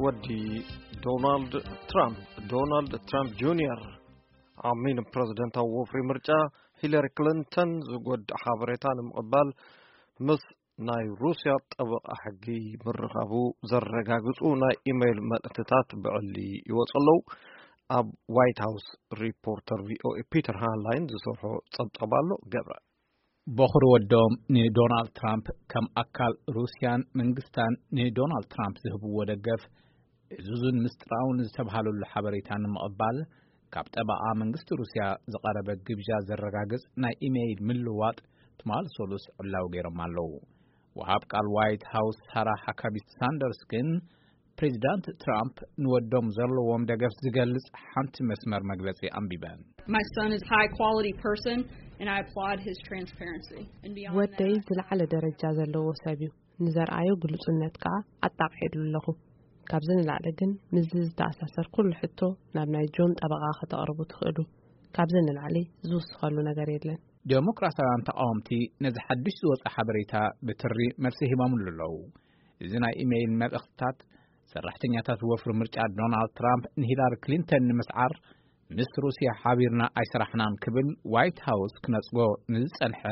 ወዲ ዶናልድ ትራምፕ፣ ዶናልድ ትራምፕ ጁኒየር፣ ኣብ ሚን ፕረዚደንታዊ ወፍሪ ምርጫ ሂለሪ ክሊንተን ዝጎድእ ሓበሬታ ንምቕባል ምስ ናይ ሩስያ ጠበቓ ሕጊ ምርኻቡ ዘረጋግጹ ናይ ኢሜይል መልእኽትታት ብዕሊ ይወጹ ኣለዉ። ኣብ ዋይት ሃውስ ሪፖርተር ቪ ኦ ኤ ፒተር ሃንላይን ዝሰርሖ ጸብጻብ ኣሎ። ገብረ። በኹሪ ወዶም ንዶናልድ ትራምፕ ከም ኣካል ሩስያን መንግስታን ንዶናልድ ትራምፕ ዝህብዎ ደገፍ፣ ዕዙዝን ምስጢራውን ዝተብሃለሉ ሓበሬታ ንምቕባል ካብ ጠበቓ መንግስቲ ሩስያ ዝቐረበ ግብዣ ዘረጋግጽ ናይ ኢሜይል ምልዋጥ ትማል ሰሉስ ዕላዊ ገይሮም ኣለዉ። ወሃብ ቃል ዋይት ሃውስ ሳራ ሃካቢ ሳንደርስ ግን ፕሬዚዳንት ትራምፕ ንወዶም ዘለዎም ደገፍ ዝገልጽ ሓንቲ መስመር መግለጺ ኣንቢበን። My son is a high quality person, and I applaud his transparency. And beyond ወደይ that, ዝለዓለ ደረጃ ዘለዎ ሰብ እዩ። ንዘርኣዮ ግሉጽነት ከኣ ኣጣቕዒሉ ኣለኹ። ካብዚ ንላዕሊ ግን ምስዚ ዝተኣሳሰር ኩሉ ሕቶ ናብ ናይ ጆን ጠበቓ ከተቕርቡ ትኽእሉ። ካብዚ ንላዕሊ ዝውስኸሉ ነገር የለን። ዴሞክራሲያውያን ተቓወምቲ ነዚ ሓድሽ ዝወጸ ሓበሬታ ብትሪ መልሲ ሂቦምሉ ኣለዉ። እዚ ናይ ኢሜይል መልእኽትታት ሰራሕተኛታት ወፍሪ ምርጫ ዶናልድ ትራምፕ ንሂላሪ ክሊንተን ንምስዓር ምስ ሩስያ ሓቢርና ኣይሰራሕናን ክብል ዋይት ሃውስ ክነጽጎ ንዝጸንሐ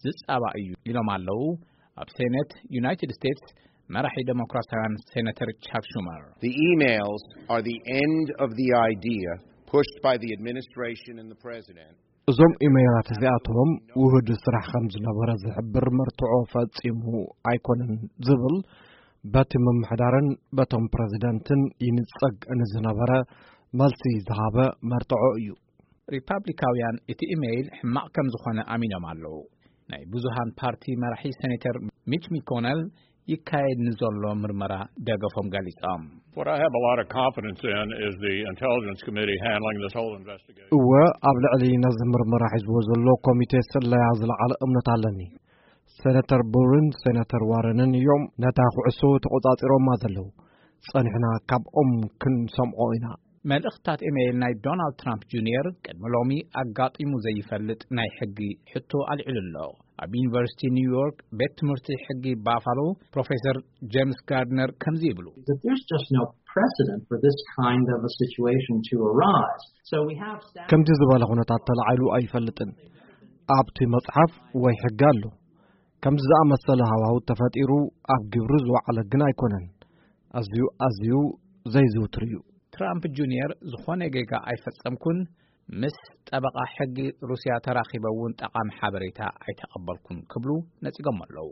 ዝጻባ እዩ ኢሎም ኣለዉ። ኣብ ሴኔት ዩናይትድ ስቴትስ መራሒ ዴሞክራሲያውያን ሴኔተር ቻክ ሹመር። The emails are the end of the idea pushed by the administration and the president. እዞም ኢሜይላት እዚኣቶም ውህድ ስራሕ ከም ዝነበረ ዝሕብር መርትዖ ፈጺሙ ኣይኮነን ዝብል በቲ ምምሕዳርን በቶም ፕረዚደንትን ይንጸግ ንዝነበረ መልሲ ዝሃበ መርትዖ እዩ። ሪፓብሊካውያን እቲ ኢሜይል ሕማቕ ከም ዝኾነ ኣሚኖም ኣለዉ። ናይ ብዙሃን ፓርቲ መራሒ ሴኔተር ሚች ሚኮነል ይካየድ ንዘሎ ምርመራ ደገፎም ገሊጾም። What I have a lot of confidence in is the Intelligence Committee handling this whole investigation. እወ፣ ኣብ ልዕሊ ነዚ ምርመራ ሒዝዎ ዘሎ ኮሚቴ ስለያ ዝለዓለ እምነት ኣለኒ። ሴነተር ቡርን ሴነተር ዋረንን እዮም ነታ ኩዕሶ ተቖጻጺሮማ ዘለዉ። ጸኒሕና ካብኦም ክንሰምዖ ኢና። መልእኽትታት ኢሜይል ናይ ዶናልድ ትራምፕ ጁኒየር ቅድሚ ሎሚ ኣጋጢሙ ዘይፈልጥ ናይ ሕጊ ሕቶ ኣልዒሉ ኣሎ። ኣብ ዩኒቨርሲቲ ኒውዮርክ ቤት ትምህርቲ ሕጊ ባፋሎ ፕሮፌሰር ጄምስ ጋርድነር ከምዚ ይብሉ። That there's just no precedent for this kind of a situation to arise. So we have staff ከምዚ ዝበለ ኩነታት ተላዒሉ ኣይፈልጥን። ኣብቲ መጽሓፍ ወይ ሕጊ ኣሎ። ከምዚ ዝኣመሰለ ሃዋሁ ተፈጢሩ ኣብ ግብሪ ዝወዓለ ግን ኣይኮነን። ኣዝዩ፣ ኣዝዩ ዘይዝውትር እዩ። ትራምፕ ጁኒየር ዝኾነ ጌጋ ኣይፈጸምኩን፣ ምስ ጠበቓ ሕጊ ሩስያ ተራኺበ እውን ጠቓሚ ሓበሬታ ኣይተቐበልኩን ክብሉ ነጺጎም ኣለዉ።